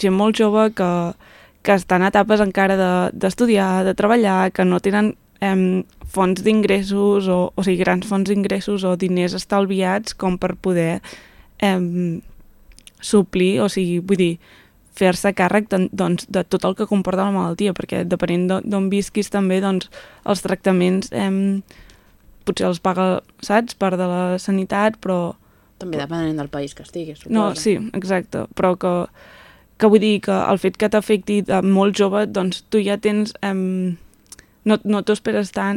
gent molt jove que està en etapes encara d'estudiar, de treballar, que no tenen fonts d'ingressos, o sigui, grans fonts d'ingressos o diners estalviats com per poder suplir, o sigui, vull dir, fer-se càrrec doncs, de tot el que comporta la malaltia, perquè depenent d'on visquis també, doncs, els tractaments potser els paga, saps, part de la sanitat, però... També depenent del país que estiguis, suposo. No, sí, exacte, però que vull dir que el fet que t'afecti de molt jove, doncs tu ja tens... no t'ho esperes tant